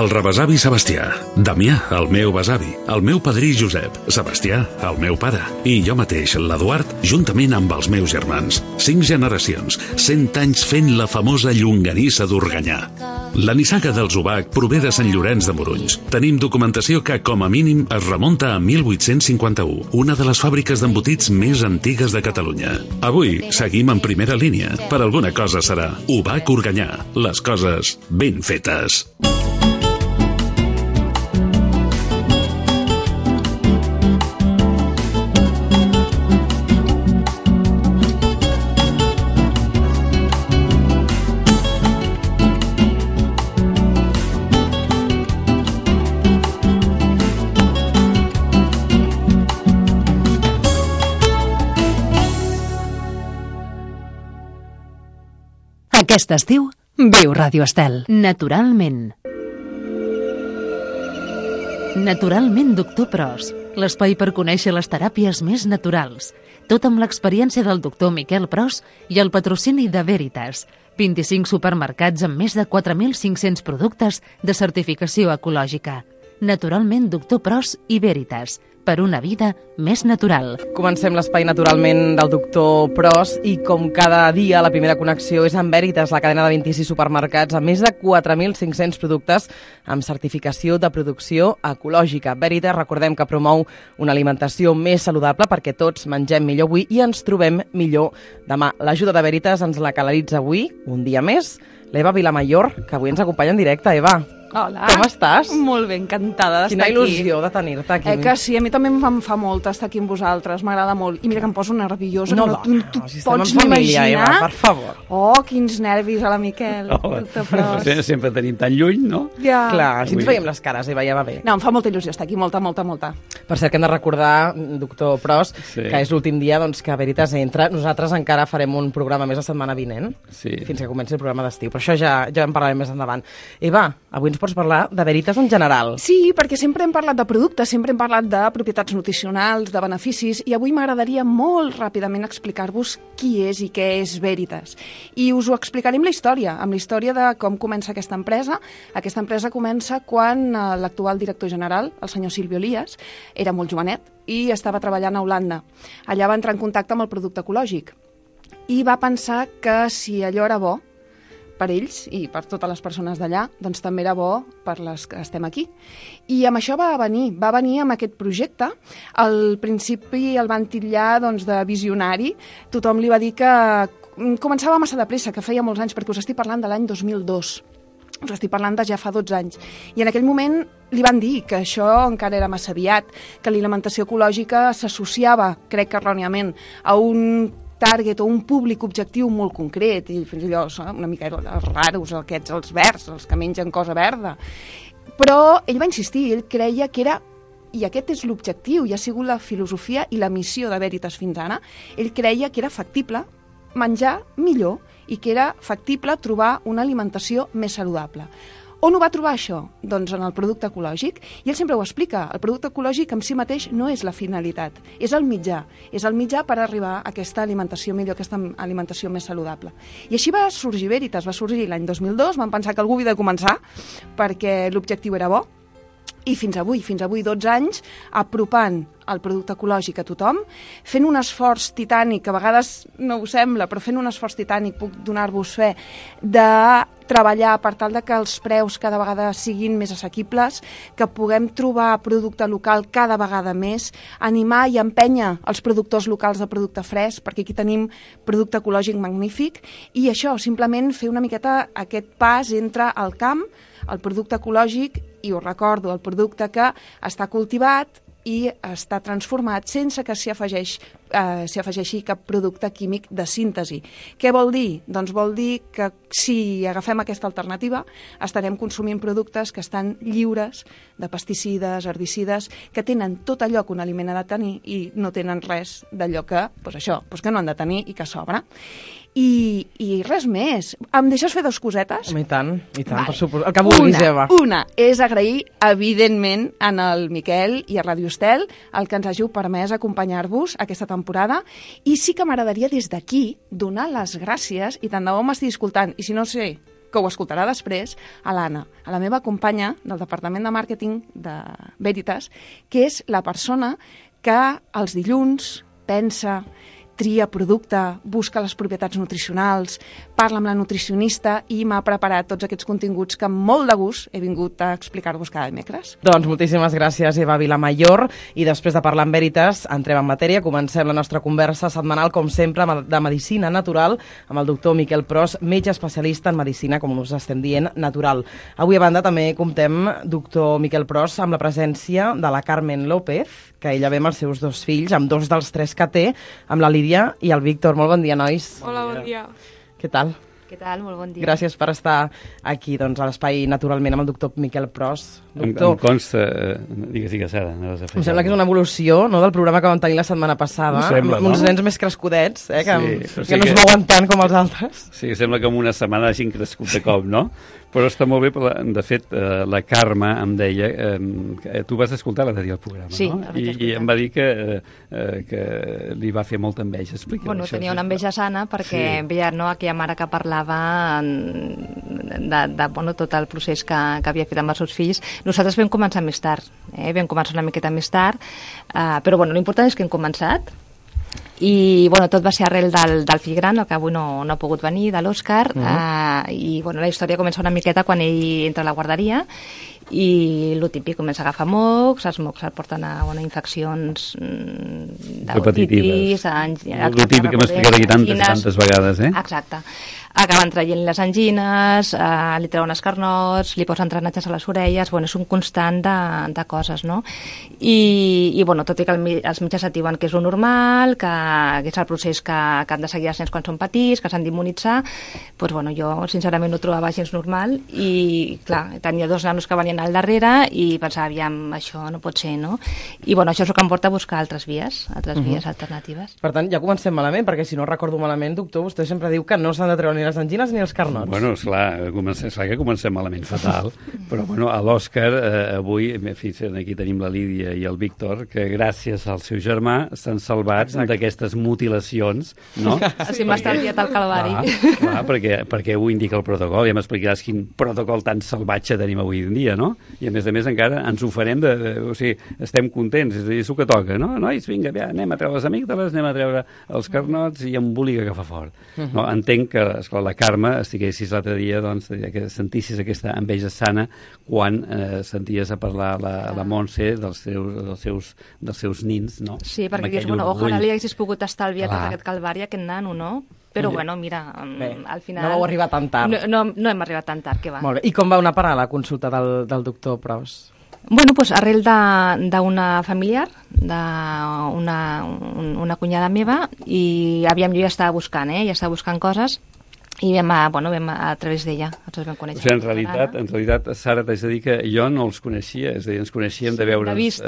el rebesavi Sebastià, Damià, el meu besavi, el meu padrí Josep, Sebastià, el meu pare, i jo mateix, l'Eduard, juntament amb els meus germans. 5 generacions, 100 anys fent la famosa llonganissa d'Organyà. La nissaga dels Ubac prové de Sant Llorenç de Morunys. Tenim documentació que, com a mínim, es remunta a 1851, una de les fàbriques d'embotits més antigues de Catalunya. Avui seguim en primera línia. Per alguna cosa serà Ubac Organyà. Les coses ben fetes. Aquest estiu, viu Ràdio Estel. Naturalment. Naturalment, doctor Pros. L'espai per conèixer les teràpies més naturals. Tot amb l'experiència del doctor Miquel Pros i el patrocini de Veritas. 25 supermercats amb més de 4.500 productes de certificació ecològica. Naturalment, doctor Pros i Veritas. Per una vida més natural. Comencem l'espai naturalment del doctor Pros i com cada dia la primera connexió és amb Veritas, la cadena de 26 supermercats amb més de 4.500 productes amb certificació de producció ecològica. Veritas, recordem que promou una alimentació més saludable perquè tots mengem millor avui i ens trobem millor demà. L'ajuda de Veritas ens la canalitza avui, un dia més, l'Eva Vilamayor, que avui ens acompanya en directe. Eva, hola. Com estàs? Molt bé, encantada d'estar aquí. Quina il·lusió de tenir-te aquí. Que sí, a mi també em fa molt estar aquí amb vosaltres, m'agrada molt. I mira que em poso nerviosa, no, que no, tu si pots estem en família, imaginar. Eva, per favor. Oh, quins nervis a la Miquel. Doctor Pros. Sempre tenim tan lluny, no? Ja. Clar, si ens veiem les cares, Eva, ja va bé. No, em fa molta il·lusió estar aquí, molta. Per cert, que hem de recordar, doctor Pros, que és l'últim dia que Veritas entra. Nosaltres encara farem un programa més la setmana vinent, fins que comenci el programa d'estiu. Però això ja en parlarem més endavant. Eva, avui ens pots parlar de Veritas en general. Sí, perquè sempre hem parlat de productes, sempre hem parlat de propietats nutricionals, de beneficis, i avui m'agradaria molt ràpidament explicar-vos qui és i què és Veritas. I us ho explicaré amb la història de com comença aquesta empresa. Aquesta empresa comença quan l'actual director general, el senyor Silvio Elias, era molt jovenet i estava treballant a Holanda. Allà va entrar en contacte amb el producte ecològic i va pensar que si allò era bo per ells i per totes les persones d'allà, doncs també era bo per les que estem aquí. I amb això va venir amb aquest projecte. Al principi el van titllar de visionari. Tothom li va dir que començava massa de pressa, que feia molts anys, perquè us estic parlant de l'any 2002. Us estic parlant de ja fa 12 anys. I en aquell moment li van dir que això encara era massa aviat, que l'alimentació ecològica s'associava, crec que erròniament, a un target o un públic objectiu molt concret, i fins allò una mica els raros, aquests, els verds, els que mengen cosa verda. Però ell va insistir, ell creia que era, i aquest és l'objectiu, i ha sigut la filosofia i la missió de Veritas fins ara, ell creia que era factible menjar millor i que era factible trobar una alimentació més saludable. On ho va trobar això? Doncs en el producte ecològic. I ell sempre ho explica, el producte ecològic en si mateix no és la finalitat, és el mitjà. És el mitjà per arribar a aquesta alimentació millor, aquesta alimentació més saludable. I així va sorgir Veritas, va sorgir l'any 2002, van pensar que algú havia de començar perquè l'objectiu era bo. I fins avui, 12 anys, apropant el producte ecològic a tothom, fent un esforç titànic, que a vegades no ho sembla, però fent un esforç titànic, puc donar-vos fe, de treballar per tal de que els preus cada vegada siguin més assequibles, que puguem trobar producte local cada vegada més, animar i empènyer els productors locals de producte fresc, perquè aquí tenim producte ecològic magnífic, i això, simplement fer una miqueta aquest pas entre el camp, el producte ecològic, i us recordo, el producte que està cultivat i està transformat sense que s'hi afegeixi cap producte químic de síntesi. Què vol dir? Doncs vol dir que si agafem aquesta alternativa estarem consumint productes que estan lliures de pesticides, herbicides, que tenen tot allò que un aliment ha de tenir i no tenen res d'allò que, que no han de tenir i que sobra. I res més. Em deixes fer 2 cosetes? I tant, vale. Per suposar. El que vulguis, Eva. Una és agrair, evidentment, en el Miquel i a Ràdio Estel el que ens hàgiu permès acompanyar-vos aquesta temporada. I sí que m'agradaria des d'aquí donar les gràcies, i tant de bo m'estigui escoltant, i si no sé que ho escoltarà després, a l'Anna, a la meva companya del Departament de Màrqueting de Veritas, que és la persona que els dilluns pensa, tria producte, busca les propietats nutricionals, parla amb la nutricionista i m'ha preparat tots aquests continguts que amb molt de gust he vingut a explicar-vos cada dimecres. Doncs moltíssimes gràcies, Eva Vilamayor. I després de parlar amb Veritas, entrem en matèria. Comencem la nostra conversa setmanal, com sempre, de medicina natural, amb el doctor Miquel Pros, metge especialista en medicina, com us estem dient, natural. Avui, a banda, també comptem, doctor Miquel Pros, amb la presència de la Carmen López, que ella ve amb els seus 2 fills, amb 2 dels 3 que té, amb la Lídia i el Víctor. Molt bon dia, nois. Hola, bon dia. Què tal? Què tal? Molt bon dia. Gràcies per estar aquí, doncs, a l'espai Naturalment amb el doctor Miquel Pros. Doctor, em consta... Digues, Sara. Em sembla que és una evolució, no?, del programa que vam tenir la setmana passada. Sembla, amb uns nens més crescudets, que no es mouen tant com els altres. Sí, sembla que en una setmana hagin crescut de cop, no? Però està molt bé, de fet, la Carme em deia... tu vas escoltar l'altre dia el programa, sí, no? I em va dir que li va fer molta enveja. Explica bueno, això. Tenia una enveja sana perquè veia aquella mare que parlava de tot el procés que havia fet amb els seus fills. Nosaltres vam començar més tard, vam començar una miqueta més tard, però l'important és que hem començat. I tot va ser arrel del fill gran, el que avui no ha pogut venir, de l'Òscar, i la història comença una miqueta quan ell entra a la guarderia i el típic, comença a agafar mocs, els mocs el porten a infeccions repetitives. El típic que hem explicat aquí tantes vegades, Exacte. Acaben traient les angines, li treuen els carnots, li posen drenatges a les orelles, és un constant de coses, no? I tot i que els metges et diuen que és lo normal, que és el procés que han de seguir els nens quan són petits, que s'han d'immunitzar, jo sincerament no ho trobava gens normal i, clar, tenia 2 nanos que venien al darrere i pensava, aviam, això no pot ser, no? I, això és el que em porta a buscar altres vies alternatives. Per tant, ja comencem malament, perquè si no recordo malament, doctor, vostè sempre diu que no s'han de treure ni les angines ni els carnots. Bueno, esclar que comencem malament fatal, però a l'Òscar avui, aquí tenim la Lídia i el Víctor, que gràcies al seu germà s'han salvat d'aquestes mutilacions, no? Sí, m'ha estalviat el calvari. Clar, perquè ho indica el protocol, ja m'explicaràs quin protocol tan salvatge tenim avui en dia, no? I a més encara ens ho farem o sigui, estem contents, és a dir, és el que toca, no? Nois, vinga, anem a treure les amígdales, anem a treure els carnots i embolica que fa fort. No, entenc que, esclar, la Carme, estiguessis l'altre dia, que sentissis aquesta enveja sana quan senties a parlar la Montse dels seus nins, no? Sí, perquè dius, ojalà li haguessis pogut estalviar tot aquest calvari a aquest nano, no? Però, mira, al final... No vau arribar tan tard. No hem arribat tan tard, que va. Molt bé. I com va anar a parar la consulta del doctor Pros? Arrel d'una familiar, d'una cunyada meva, i jo ja estava buscant coses, i vam a través d'ella, ens vam conèixer. O sigui, en realitat, Sara, t'haig de dir que jo no els coneixia, és a dir, ens coneixíem de veure'ns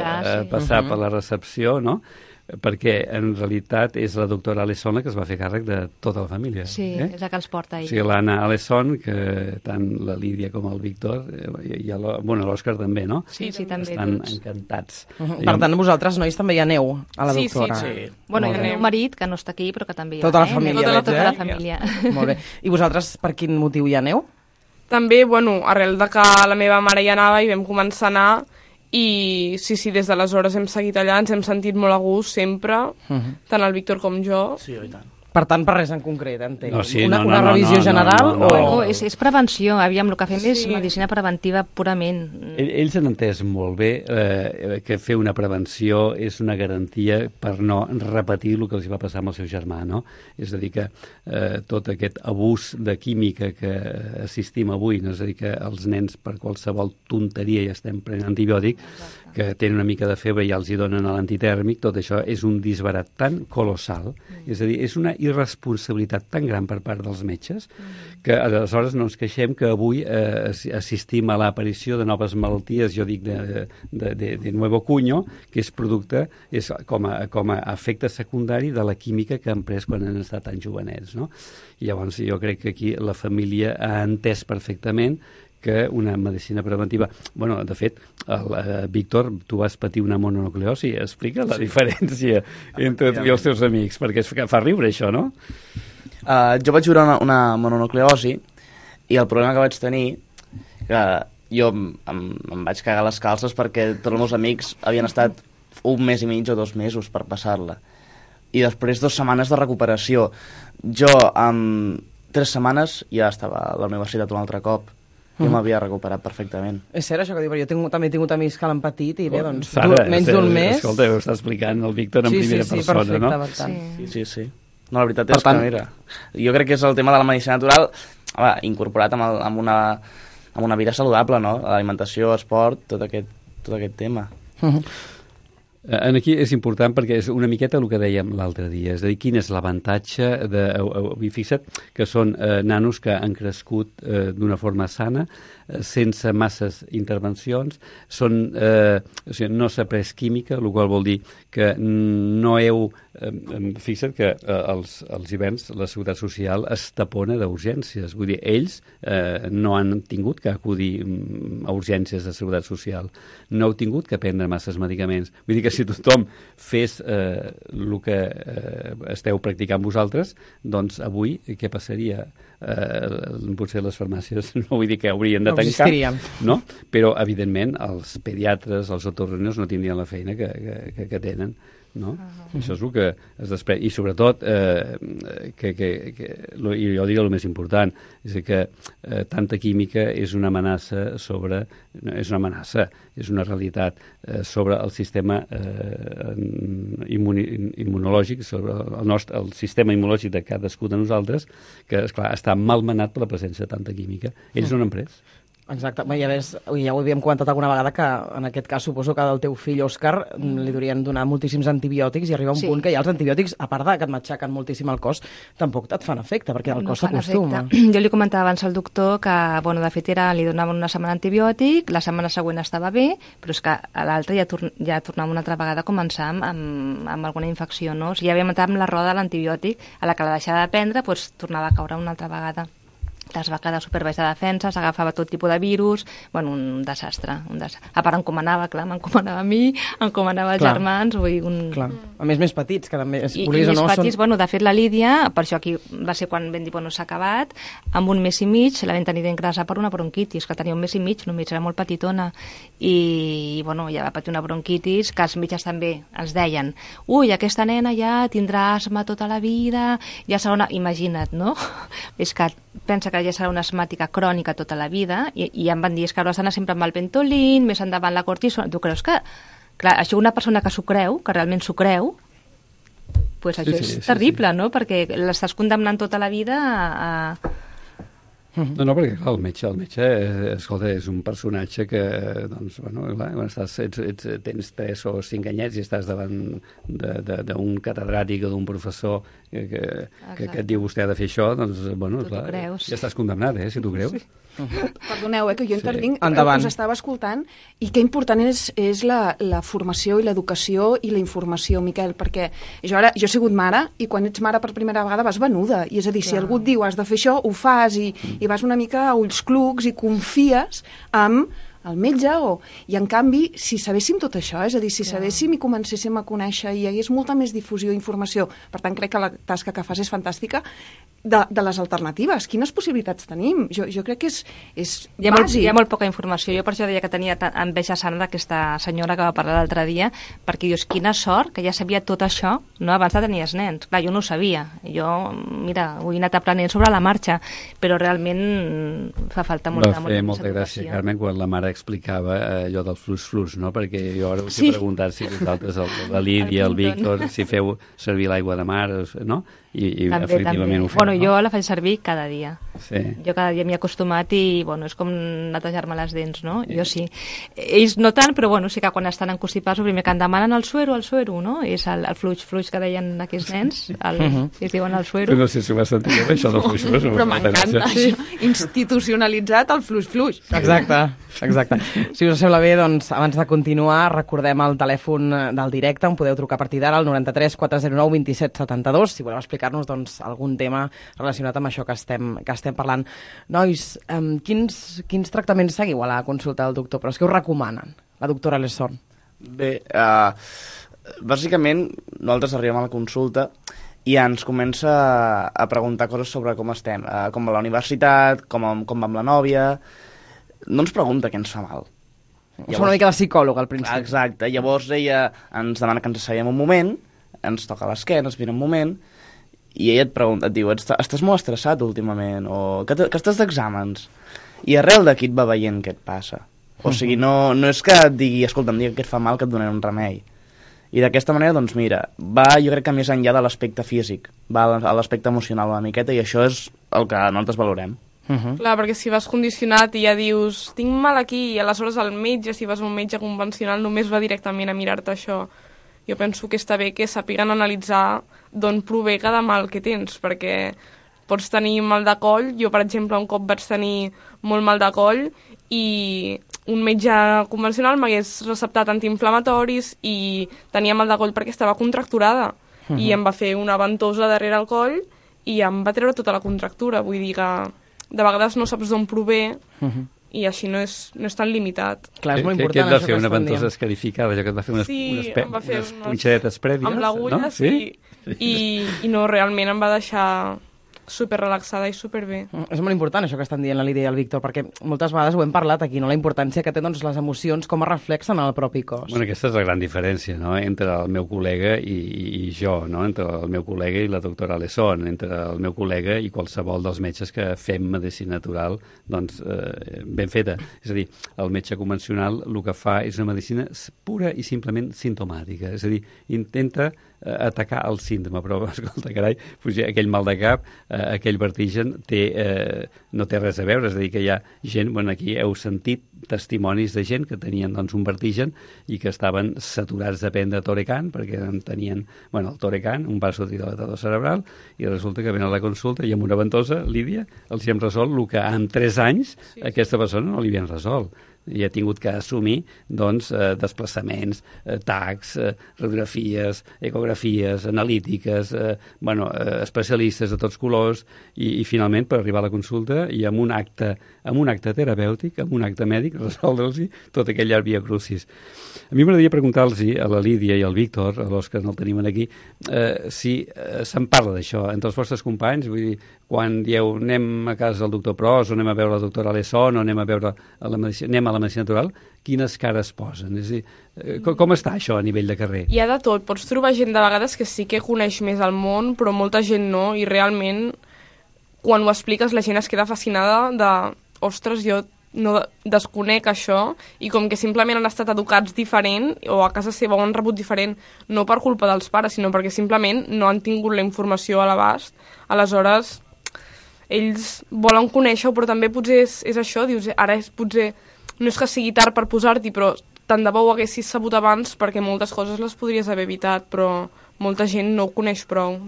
passar per la recepció, no? Perquè en realitat és la doctora Alesson la que es va fer càrrec de tota la família. Sí, és la que els porta ell. O sigui, l'Anna Alesson, que tant la Lídia com el Víctor, i l'Òscar també, no? Sí, també. Estan encantats. Per tant, vosaltres, nois, també hi aneu a la doctora. Sí. I el meu marit, que no està aquí, però que també hi va. Tota la família. Tota la família. Molt bé. I vosaltres, per quin motiu hi aneu? També, arrel de que la meva mare hi anava i vam començar a anar, i sí, des d'aleshores hem seguit allà, ens hem sentit molt a gust sempre, tant el Víctor com jo. Sí, i tant. Per tant, per res en concret, entenc. No, sí, una revisió general o... És prevenció, el que fem és medicina preventiva purament. Ells han entès molt bé que fer una prevenció és una garantia per no repetir el que els va passar amb el seu germà, no? És a dir, que tot aquest abús de química que assistim avui, no? És a dir, que els nens per qualsevol tonteria ja estem prenent antibiòtic, que tenen una mica de febre i ja els hi donen l'antitèrmic, tot això és un disbarat tan colossal, és a dir, és una irresponsabilitat tan gran per part dels metges que aleshores no ens queixem que avui assistim a l'aparició de noves malalties, jo dic de nuevo cuño, que és producte, és com a efecte secundari de la química que han pres quan han estat tan jovenets, no? I llavors jo crec que aquí la família ha entès perfectament que una medicina preventiva... Bueno, de fet, Víctor, tu vas patir una mononucleosi. Explica la diferència entre tu i els teus amics, perquè fa riure això, no? Jo vaig viure una mononucleosi I el problema que vaig tenir, que jo em vaig cagar les calces perquè tots els meus amics havien estat 1 mes i mig o 2 mesos per passar-la. I després 2 setmanes de recuperació. Jo, en 3 setmanes, ja estava a la universitat un altre cop. Jo m'havia recuperat perfectament. És cert això que diu, però jo també he tingut amics que l'han patit i bé, doncs, Sara, menys d'un mes... Escolta, ho està explicant el Víctor en primera persona, perfecte, no? Per tant. Sí. No, la veritat és que, mira, jo crec que és el tema de la medicina natural incorporat amb una vida saludable, no? L'alimentació, esport, tot aquest tema. Aquí és important perquè és una miqueta el que dèiem l'altre dia, és a dir, quin és l'avantatge fixa't que són nanos que han crescut d'una forma sana, sense masses intervencions, o sigui, no s'ha pres química, el qual vol dir que no heu... Fixa't que als hiverns la Seguretat Social es tapona d'urgències, vull dir, ells no han tingut que acudir a urgències de Seguretat Social, no heu tingut que prendre masses medicaments, vull dir que si tothom fes el que esteu practicant vosaltres, doncs avui què passaria? Potser les farmàcies no vull dir que haurien de tancar, no? Però evidentment els pediatres, els otorrinos no tindrien la feina que tenen, no? Això és el que es desprèn. I sobretot i jo diria el més important és que tanta química és una amenaça és una realitat sobre el sistema immunològic, sobre el sistema immunològic de cadascú de nosaltres, que esclar, està malmenat per la presència de tanta química. Ells no n'han pres. Exacte, ja ho havíem comentat alguna vegada que en aquest cas suposo que del teu fill Òscar li durien donar moltíssims antibiòtics i arriba un punt que ja els antibiòtics, a part que et matxaquen moltíssim el cos, tampoc et fan efecte, perquè el cos s'acostuma. Jo li comentava abans al doctor que, de fet, li donaven una setmana antibiòtic, la setmana següent estava bé, però és que a l'altra ja tornava una altra vegada a començar amb alguna infecció, no? O sigui, ja havíem entrat amb la roda de l'antibiòtic, a la que la deixava de prendre, doncs tornava a caure una altra vegada. Es va quedar superbaix de defensa, s'agafava tot tipus de virus, bueno, un desastre. A part m'encomanava a mi, encomanava als germans, vull dir... Clar, a més petits, que també, I més petits, de fet la Lídia, per això aquí va ser quan vam dir, s'ha acabat, amb 1 mes i mig la vam tenir d'ingressar per una bronquitis, que tenia 1 mes i mig, només era molt petitona, i ja va patir una bronquitis, que els metges també ens deien, aquesta nena ja tindrà asma tota la vida, ja serà una... Imagina't, no? És que pensa que ja serà una asmàtica crònica tota la vida i em van dir que hauràs d'anar sempre amb el Ventolin, més endavant la cortisona. Tu creus que... Clar, això una persona que s'ho creu, que realment s'ho creu, doncs això és terrible, no? Perquè l'estàs condemnant tota la vida a... No, perquè clar, el metge, escolta, és un personatge que, doncs, clar, quan tens 3 o 5 anyets i estàs davant d'un catedràtic o d'un professor que et diu vostè ha de fer això, doncs, clar, ja estàs condemnat, si t'ho creus. Sí. Perdoneu, que jo intervinc, us estava escoltant, i que important és la formació i l'educació i la informació, Miquel, perquè jo he sigut mare, i quan ets mare per primera vegada vas venuda, i és a dir, si algú et diu has de fer això, ho fas, i vas una mica a ulls clucs i confies amb el metge, i en canvi, si sabéssim tot això, és a dir, si sabéssim i comencéssim a conèixer i hi hagués molta més difusió i informació, per tant crec que la tasca que fas és fantàstica, de les alternatives. Quines possibilitats tenim? Jo crec que és bàsic. Hi ha molt poca informació. Jo per això deia que tenia enveja sana d'aquesta senyora que va parlar l'altre dia, perquè dius, quina sort que ja sabia tot això, no? Abans de tenir els nens. Clar, jo no ho sabia. Jo, mira, ho he anat aprenent sobre la marxa, però realment fa falta molta molta gràcia, Carmen, quan la mare explicava allò del flux, no? Perquè jo ara us he preguntat si vosaltres, la Lídia, el Víctor, si feu servir l'aigua de mar, no? I efectivament ho fem. Bueno, jo la faig servir cada dia. Sí. Jo cada dia m'hi he acostumat i, és com netejar-me les dents, no? Jo sí. Ells no tant, però, sí que quan estan encostipats, el primer que em demanen el suero, no? És el flux que deien aquells nens, es diuen el suero. No sé si ho has sentit, això del flux. Però m'encanta, això. Institucionalitzat el flux. Exacte. Si us sembla bé, doncs, abans de continuar, recordem el telèfon del directe, on podeu trucar a partir d'ara, al 93 409 27 72, si voleu explicar-nos algun tema relacionat amb això que estem parlant. Nois, quins tractaments seguiu a la consulta del doctor? Però és que us recomanen, la doctora Lesson? Bé, bàsicament, nosaltres arribem a la consulta i ens comença a preguntar coses sobre com estem, com va la universitat, com va amb la nòvia. No ens pregunta què ens fa mal. Llavors, una mica de psicòleg al principi. Exacte, llavors ella ens demana que ens asseiem un moment, ens toca l'esquena, ens mira un moment, i ella et pregunta, et diu, estàs molt estressat últimament, o que estàs d'exàmens? I arrel d'aquí et va veient què et passa. O sigui, no és que et digui, escolta, em digui que et fa mal, que et donaré un remei. I d'aquesta manera, doncs mira, va jo crec que més enllà de l'aspecte físic, va a l'aspecte emocional una miqueta, i això és el que nosaltres valorem. Clar, perquè si vas condicionat i ja dius tinc mal aquí, i aleshores el metge, si vas a un metge convencional, només va directament a mirar-te això. Jo penso que està bé que sàpiguen analitzar d'on prové cada mal que tens, perquè pots tenir mal de coll. Jo, per exemple, un cop vaig tenir molt mal de coll i un metge convencional m'hagués receptat antiinflamatoris i tenia mal de coll perquè estava contracturada. I em va fer una ventosa darrere el coll i em va treure tota la contractura. Vull dir que de vegades no saps d'on prové i així no és tan limitat. Clar, és molt important. Què et va fer? Una ventosa escarificada? Allò que et va fer unes punxadetes prèvies? Amb l'agulla, no? Sí. I no, realment em va deixar super relaxada i superbé. És molt important això que estan dient la Lídia i el Víctor, perquè moltes vegades ho hem parlat aquí, no? La importància que té les emocions, com es reflexen en el propi cos. Bueno, aquesta és la gran diferència, no?, entre el meu col·lega i jo, no?, entre el meu col·lega i la doctora Alesson, entre el meu col·lega i qualsevol dels metges que fem medicina natural, doncs, ben feta. És a dir, el metge convencional el que fa és una medicina pura i simplement simptomàtica, és a dir, intenta atacar el símptoma, però, escolta, carai, aquell mal de cap, aquell vertigen no té res a veure, és a dir, que hi ha gent, bueno, aquí heu sentit testimonis de gent que tenien doncs, un vertigen i que estaven saturats de prendre Torecan, perquè tenien, bueno, el Torecan, un vasodilatador cerebral, i resulta que venen a la consulta i amb una ventosa, Lídia, els hi hem resolt el que en 3 anys aquesta persona no li havien resolt. I ha tingut que assumir doncs, desplaçaments, tacs, radiografies, ecografies, analítiques, especialistes de tots colors i finalment per arribar a la consulta i amb un acte terapèutic, amb un acte mèdic, resoldre'ls tot aquell llarg via crucis. A mi m'agradaria preguntar-los a la Lídia i al Víctor, a l'Òscar no el tenim aquí, si se'n parla d'això entre els vostres companys, vull dir, quan dieu anem a casa del doctor Pros o anem a veure la doctora Alesson o anem a veure anem a la medicina natural, quines cares posen? És a dir, com està això a nivell de carrer? Hi ha de tot. Pots trobar gent de vegades que sí que coneix més el món, però molta gent no, i realment quan ho expliques la gent es queda fascinada de ostres, jo no desconec això, i com que simplement han estat educats diferent o a casa seva ho han rebut diferent, no per culpa dels pares, sinó perquè simplement no han tingut la informació a l'abast. Aleshores ells volen conèixer-ho, però també potser és això, dius, ara potser no és que sigui tard per posar-t'hi, però tant de bo ho haguessis sabut abans perquè moltes coses les podries haver evitat, però molta gent no ho coneix prou,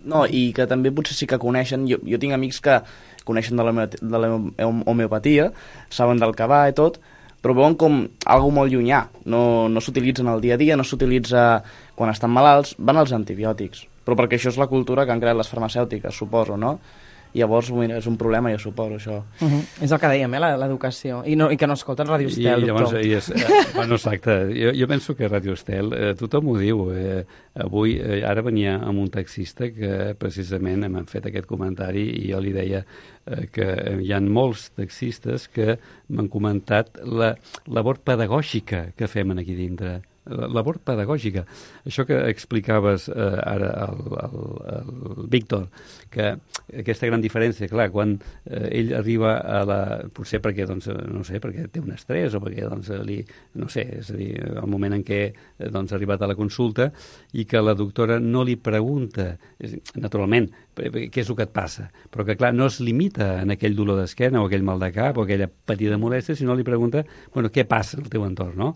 No, i que també potser sí que coneixen, jo tinc amics que coneixen de la homeopatia, saben del que va i tot, però veuen com algo molt llunyà, no s'utilitzen al dia a dia, no s'utilitza quan estan malalts, van als antibiòtics, però perquè això és la cultura que han creat les farmacèutiques, suposo, no? Llavors, mira, és un problema, jo suposo, això. És el que dèiem, l'educació. I que no escolten Ràdio Estel, doctor. Bueno, exacte. Jo penso que Ràdio Estel, tothom ho diu. Avui, ara venia amb un taxista que precisament m'han fet aquest comentari i jo li deia que hi ha molts taxistes que m'han comentat la labor pedagògica que fem aquí dintre. Labor pedagògica. Això que explicaves ara al Víctor, que aquesta gran diferència, clar, quan ell arriba a la... potser perquè, doncs, no sé, perquè té un estrès o perquè, doncs, no sé, és a dir, el moment en què doncs, ha arribat a la consulta i que la doctora no li pregunta, naturalment, què és el que et passa, però que, clar, no es limita en aquell dolor d'esquena o aquell mal de cap o aquella petita molèstia, sinó li pregunta, bueno, què passa al teu entorn, no?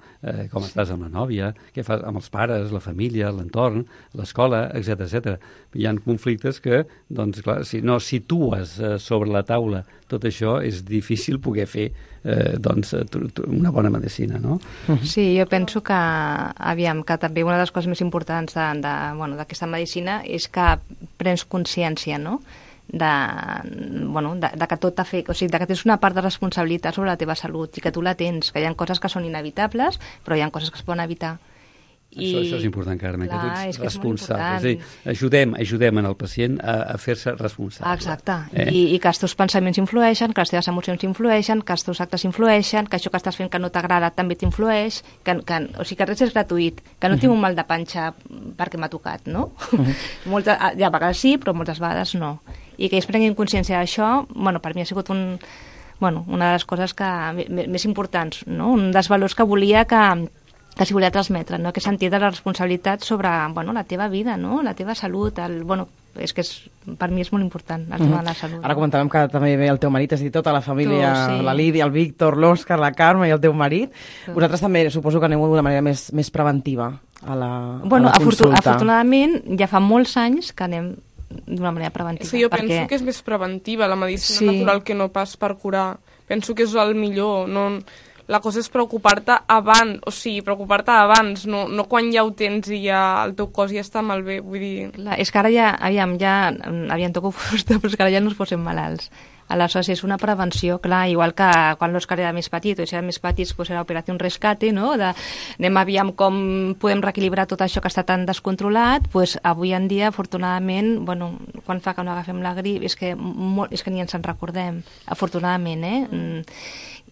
Com estàs amb la nòvia, què fas amb els pares, la família, l'entorn, l'escola, etc. Hi ha conflictes que, doncs, clar, si no situes sobre la taula tot això, és difícil poder fer doncs, una bona medicina, no? Sí, jo penso que, aviam, que també una de les coses més importants d'aquesta medicina és que prens consciència, no?, de que tot afecta, o sigui, de que tens una part de responsabilitat sobre la teva salut i que tu la tens, que hi ha coses que són inevitables, però hi ha coses que es poden evitar. Això és important, Carme, clar, que tu ets és responsable. És a dir, ajudem en el pacient a fer-se responsable. Exacte. I que els teus pensaments influeixen, que les teves emocions influeixen, que els teus actes influeixen, que això que estàs fent que no t'agrada també t'influeix, o sigui que res és gratuït, que no tinc un mal de panxa perquè m'ha tocat, no? A vegades sí, però moltes vegades no. I que ells prenguin consciència d'això, bueno, per mi ha sigut una de les coses més importants, no? Un dels valors que volia s'hi volia transmetre, no? Aquest sentit de la responsabilitat sobre la teva vida, no? La teva salut, és que per mi és molt important el tema de la salut. Ara comentàvem que també ve el teu marit, és a dir, tota la família, sí. La Lídia, el Víctor, l'Òscar, la Carme i el teu marit. Vosaltres també suposo que aneu d'una manera més preventiva a la consulta. Afortunadament ja fa molts anys que anem d'una manera preventiva. Sí, jo penso que és més preventiva la medicina natural que no pas per curar. Penso que és el millor, no... La cosa és preocupar-te abans, no quan ja ho tens i ja el teu cos ja està malbé, vull dir... Clar, és que ara ja toco fusta, però és que ara ja no ens posem malalts. Aleshores, és una prevenció, clar, igual que quan l'Òscar era més petit, o si era més petit, doncs era operació rescate, no? Anem aviam com podem reequilibrar tot això que està tan descontrolat, doncs avui en dia, afortunadament, quan fa que no agafem la grip, és que ni ens en recordem, afortunadament,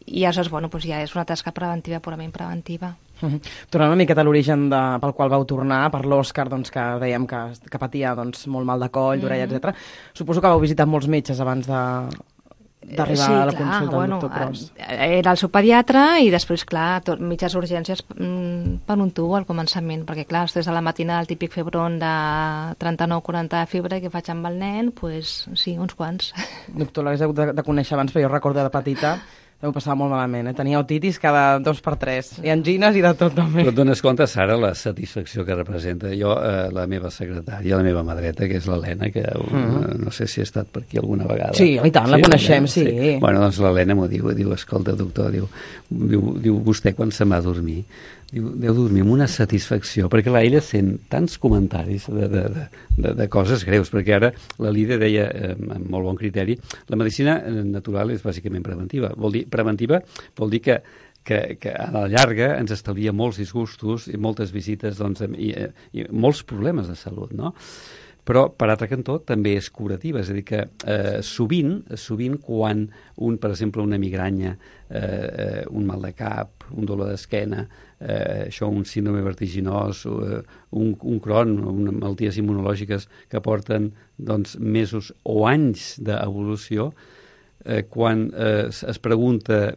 i aleshores, ja és una tasca preventiva, purament preventiva. Tornant una miqueta a l'origen pel qual vau tornar, per l'Òscar, que dèiem que patia molt mal de coll, d'orella, etc. Suposo que vau visitar molts metges abans d'arribar a la consulta del doctor Pros. Era el seu pediatre i després, clar, mitges urgències per un tubo al començament, perquè clar, després de la matina el típic febron de 39-40 de febre que faig amb el nen, doncs sí, uns quants. Doctor, l'hagués hagut de conèixer abans, però jo recordo de petita ho passava molt malament, Tenia otitis cada 2 per 3, i angines i de tot també. Però et dones compte, Sara, la satisfacció que representa. Jo, la meva secretària, la meva mà dreta, que és l'Helena, que no sé si ha estat per aquí alguna vegada. Sí, i tant, la coneixem, sí. Bueno, doncs l'Helena m'ho diu, escolta, doctor, diu vostè quan se m'ha dormir, deu dormir amb una satisfacció, perquè clar, ella sent tants comentaris de coses greus, perquè ara la Lídia deia, amb molt bon criteri, la medicina natural és bàsicament preventiva. Preventiva vol dir que a la llarga ens estalvia molts disgustos i moltes visites i molts problemes de salut, no? Però, per altre cantó, també és curativa, és a dir que sovint quan per exemple, una migranya, un mal de cap, un dolor d'esquena, un síndrome vertiginós, un Crohn, unes malalties immunològiques que porten mesos o anys d'evolució, quan es pregunta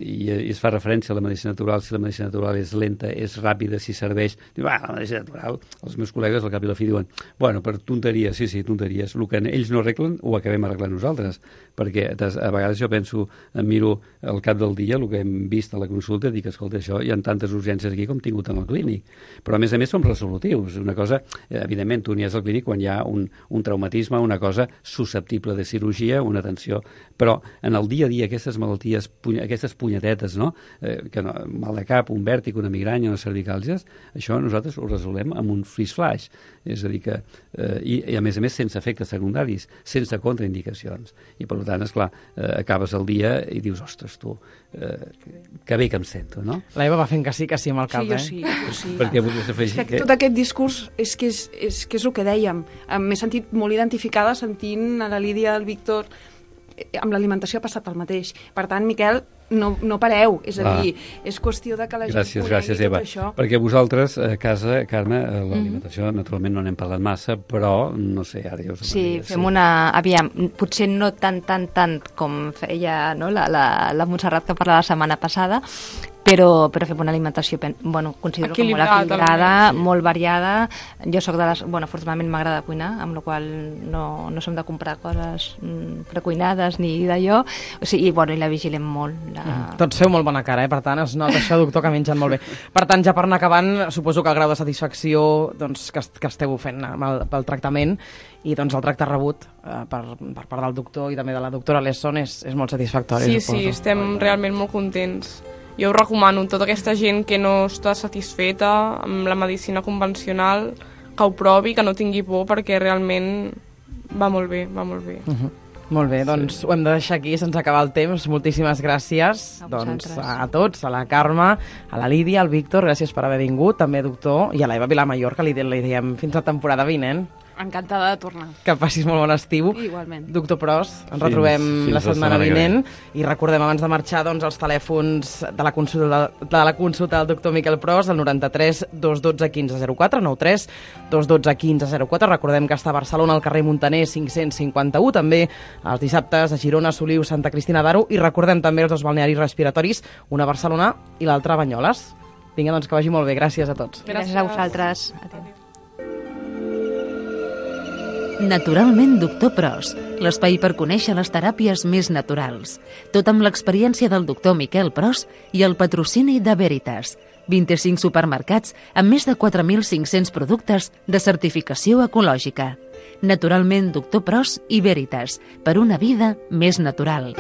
i es fa referència a la medicina natural, si la medicina natural és lenta, és ràpida, si serveix, diu, la medicina natural, els meus col·legues al cap i la fi diuen, per tonteries, sí, tonteries, el que ells no arreglen ho acabem arreglant nosaltres, perquè a vegades jo penso, em miro al cap del dia el que hem vist a la consulta i dic, escolta, això hi ha tantes urgències aquí com tingut en el clínic, però a més som resolutius, una cosa, evidentment tu n'hi has al clínic quan hi ha un traumatisme, una cosa susceptible de cirurgia, una atenció, però en el dia a dia aquestes malalties, aquestes punyetetes, mal de cap, un vèrtic, una migranya, unes cervicàlgies, això nosaltres ho resolem amb un flash, és a dir que, i a més sense efectes secundaris, sense contraindicacions, i per tant, esclar, acabes el dia i dius, ostres, tu, que bé que em sento, no? La Eva va fent que sí el cap, Sí, jo sí. Perquè volies afegir que tot aquest discurs és que és el que dèiem. M'he sentit molt identificada sentint a la Lídia, al Víctor, amb l'alimentació ha passat el mateix. Per tant, Miquel, no pareu, és a dir, és qüestió de que la gent gràcies, Eva. Això. Perquè vosaltres, a casa, Carme, l'alimentació naturalment no n'hem parlat massa, però, no sé, ara ja us ho Sí, fem aviam, potser no tant com feia la Montserrat que parlava la setmana passada, però fem una alimentació, considero que molt equilibrada, molt variada. Jo soc de les... afortunadament m'agrada cuinar, amb la qual no som de comprar coses precuinades ni d'allò, i la vigilem molt. Tots feu molt bona cara, per tant es nota això, doctor, que mengen molt bé. Per tant, ja per anar acabant, suposo que el grau de satisfacció que esteu fent pel tractament i el tracte rebut per part del doctor i també de la doctora Lesson és molt satisfactori. Sí, estem realment molt contents. Jo ho recomano a tota aquesta gent que no està satisfeta amb la medicina convencional, que ho provi, que no tingui por, perquè realment va molt bé, va molt bé. Molt bé, doncs ho hem de deixar aquí, se'ns acaba el temps. Moltíssimes gràcies a tots, a la Carme, a la Lídia, al Víctor, gràcies per haver vingut, també doctor, i a l'Eva Vilamajor, que li diem fins la temporada vinent. Encantada de tornar. Que passis molt bon estiu. Igualment. Doctor Pros, ens retrobem la setmana vinent i recordem abans de marxar els telèfons de la consulta del doctor Miquel Pros, el 93 212 1504, 93 212 1504. Recordem que està a Barcelona, al carrer Montaner 551, també els dissabtes a Girona, Soliu, Santa Cristina d'Aro, i recordem també els dos balnearis respiratoris, una a Barcelona i l'altra a Banyoles. Vinga, doncs que vagi molt bé. Gràcies a tots. Gràcies a vosaltres. Adéu. Naturalment Doctor Pros, l'espai per conèixer les teràpies més naturals. Tot amb l'experiència del doctor Miquel Pros i el patrocini de Veritas. 25 supermercats amb més de 4.500 productes de certificació ecològica. Naturalment Doctor Pros i Veritas, per una vida més natural.